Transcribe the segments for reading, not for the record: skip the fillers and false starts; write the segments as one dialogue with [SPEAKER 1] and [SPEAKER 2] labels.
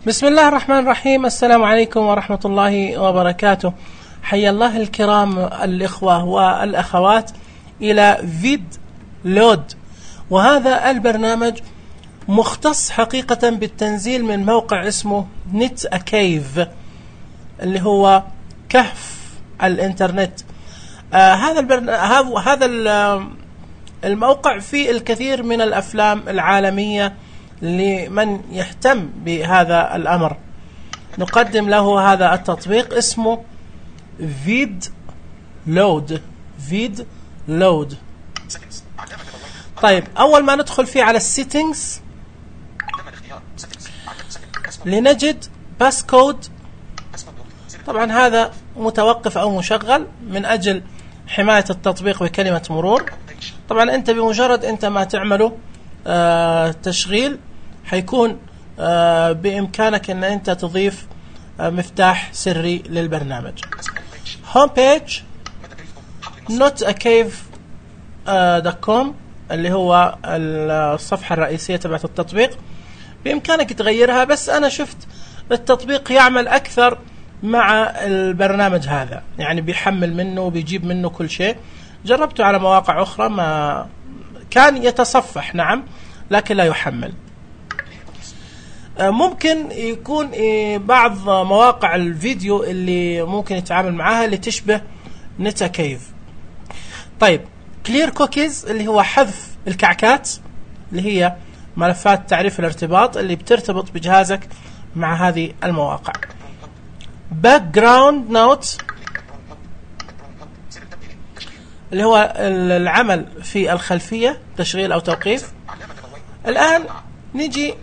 [SPEAKER 1] بسم الله الرحمن الرحيم. السلام عليكم ورحمة الله وبركاته. حيا الله الكرام الإخوة والأخوات إلى فيد لود، وهذا البرنامج مختص حقيقة بالتنزيل من موقع اسمه نت أكيف، اللي هو كهف الإنترنت. هذا الموقع فيه الكثير من الأفلام العالمية لمن يهتم بهذا الأمر. نقدم له هذا التطبيق اسمه فيد لود. طيب، أول ما ندخل فيه على السيتنجز لنجد باسكود. طبعا هذا متوقف أو مشغل من أجل حماية التطبيق بكلمة مرور. طبعا أنت بمجرد أنت ما تعمله تشغيل حيكون بإمكانك أن أنت تضيف مفتاح سري للبرنامج. هوم بيج notakave.com اللي هو الصفحة الرئيسية تبعت التطبيق. بإمكانك تغيرها، بس أنا شفت التطبيق يعمل أكثر مع البرنامج هذا، يعني بيحمل منه وبيجيب منه كل شيء. جربته على مواقع أخرى ما كان يتصفح، نعم، لكن لا يحمل. ممكن يكون بعض مواقع الفيديو اللي ممكن يتعامل معها اللي تشبه نت أكيف. طيب، كلير كوكيز اللي هو حذف الكعكات، اللي هي ملفات تعريف الارتباط اللي بترتبط بجهازك مع هذه المواقع. باك جراوند نوت اللي هو العمل في الخلفية، تشغيل أو توقيف. الآن نجي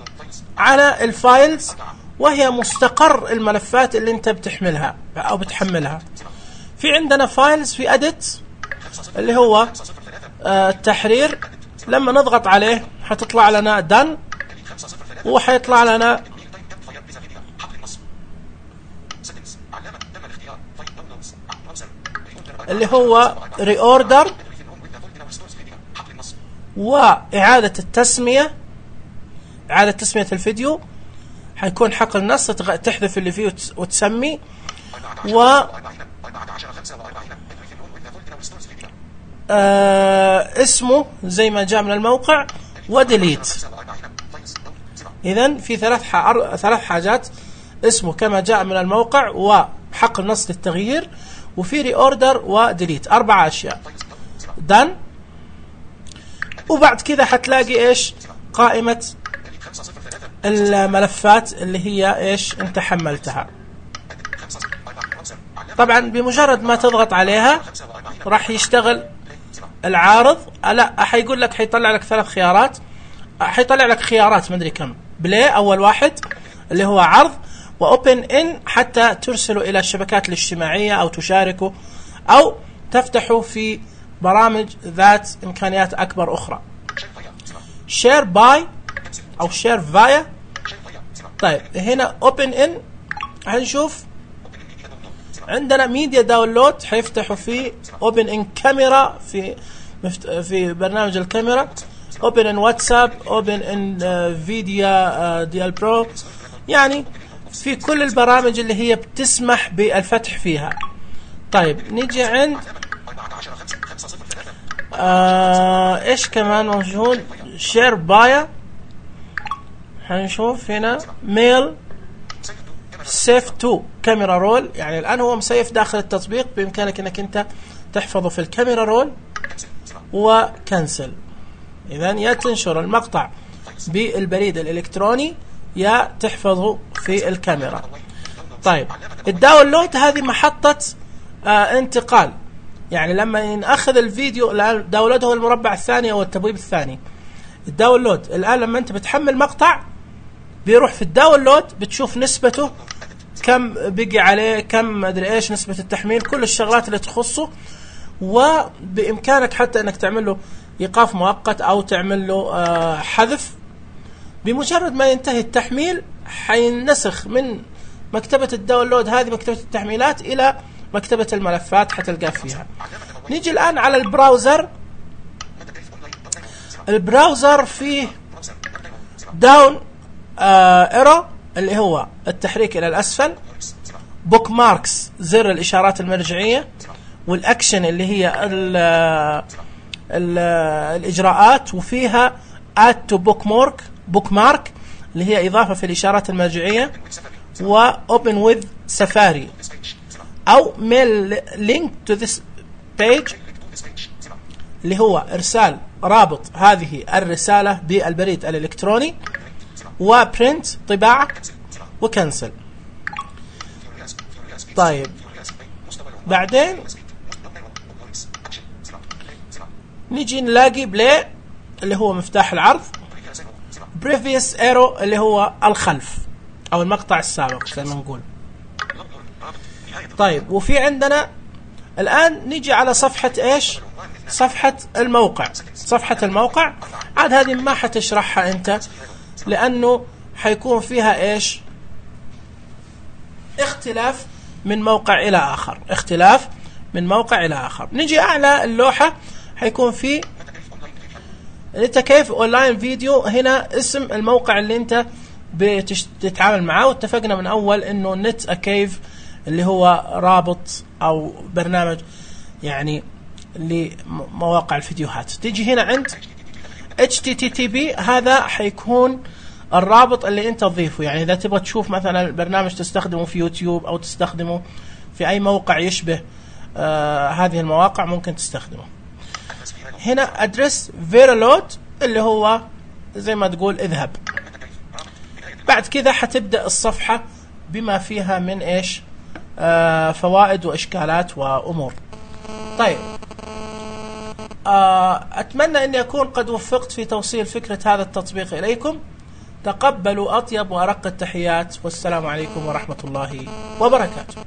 [SPEAKER 1] على الفايلز، وهي مستقر الملفات اللي انت بتحملها أو بتحملها. في عندنا فايلز في أديت اللي هو التحرير. لما نضغط عليه حتطلع لنا دن، وحيطلع لنا اللي هو ريوردر وإعادة التسمية. إعادة تسمية الفيديو حيكون حقل النص، تحذف اللي فيه وتسمي، اسمه زي ما جاء من الموقع، وديليت. إذن في ثلاث حاجات: اسمه كما جاء من الموقع، وحق النص للتغيير، وفي ريوردر وديليت. 4 أشياء. دن. وبعد كذا حتلاقي إيش؟ قائمة الملفات اللي هي إيش أنت حملتها. طبعا بمجرد ما تضغط عليها راح يشتغل العارض. لا، حيقول لك، حيطلع لك 3 خيارات. حيطلع لك خيارات مدري كم. بلاي أول واحد اللي هو عرض، وأوبن إن حتى ترسله إلى الشبكات الاجتماعية أو تشاركه أو تفتحه في برامج ذات إمكانيات أكبر أخرى. شير باي أو شير فايا. طيب، هنا أوبن إن هنشوف عندنا ميديا داونلود، حيفتحوا في أوبن إن كاميرا في برنامج الكاميرا، أوبن إن واتساب، أوبن إن فيديا ديال برو، يعني في كل البرامج اللي هي بتسمح بالفتح فيها. طيب، نيجي عند إيش كمان موجود؟ شير بايا. هنشوف هنا ميل سيف تو كاميرا رول، يعني الآن هو مسيف داخل التطبيق، بإمكانك أنك أنت تحفظه في الكاميرا رول وكنسل. إذن يا تنشر المقطع بالبريد الإلكتروني يا تحفظه في الكاميرا. طيب، الداونلود هذه محطة انتقال، يعني لما نأخذ الفيديو الآن داونلود هو المربع الثاني أو التبويب الثاني. الداونلود الآن لما أنت بتحمل مقطع بيروح في الداونلود، بتشوف نسبته كم بقي عليه، كم أدري إيش نسبة التحميل، كل الشغلات اللي تخصه. وبإمكانك حتى أنك تعمل له إيقاف مؤقت أو تعمل له حذف. بمجرد ما ينتهي التحميل حينسخ من مكتبة الداونلود هذه، مكتبة التحميلات، إلى مكتبة الملفات حتلقى فيها. نيجي الآن على البراوزر. البراوزر فيه داون ايرو اللي هو التحريك إلى الأسفل، بوك ماركس زر الإشارات المرجعية، والأكشن اللي هي الإجراءات، وفيها add to bookmark اللي هي إضافة في الإشارات المرجعية، و open with safari أو mail link to this page اللي هو إرسال رابط هذه الرسالة بالبريد الإلكتروني، وprint طباعة، وكنسل. طيب بعدين نيجي نلاقي بلاي اللي هو مفتاح العرض، previous arrow اللي هو الخلف أو المقطع السابق زي ما نقول. طيب وفي عندنا الآن نيجي على صفحة إيش؟ صفحة الموقع. صفحة الموقع عاد هذه ما حتشرحها أنت، لأنه حيكون فيها إيش؟ اختلاف من موقع إلى آخر، اختلاف من موقع إلى آخر. نيجي أعلى اللوحة حيكون في نتكيف أونلاين فيديو، هنا اسم الموقع اللي أنت بتتعامل معاه، واتفقنا من أول إنه نت أكيف اللي هو رابط أو برنامج يعني لمواقع الفيديوهات. تيجي هنا عند HTTP، هذا حيكون الرابط اللي أنت تضيفه، يعني إذا تبغى تشوف مثلا البرنامج تستخدمه في يوتيوب أو تستخدمه في أي موقع يشبه هذه المواقع ممكن تستخدمه. هنا أدرس فيرلود اللي هو زي ما تقول اذهب. بعد كذا حتبدأ الصفحة بما فيها من إيش فوائد وإشكالات وأمور. طيب أتمنى أني أكون قد وفقت في توصيل فكرة هذا التطبيق إليكم. تقبلوا أطيب وأرق التحيات، والسلام عليكم ورحمة الله وبركاته.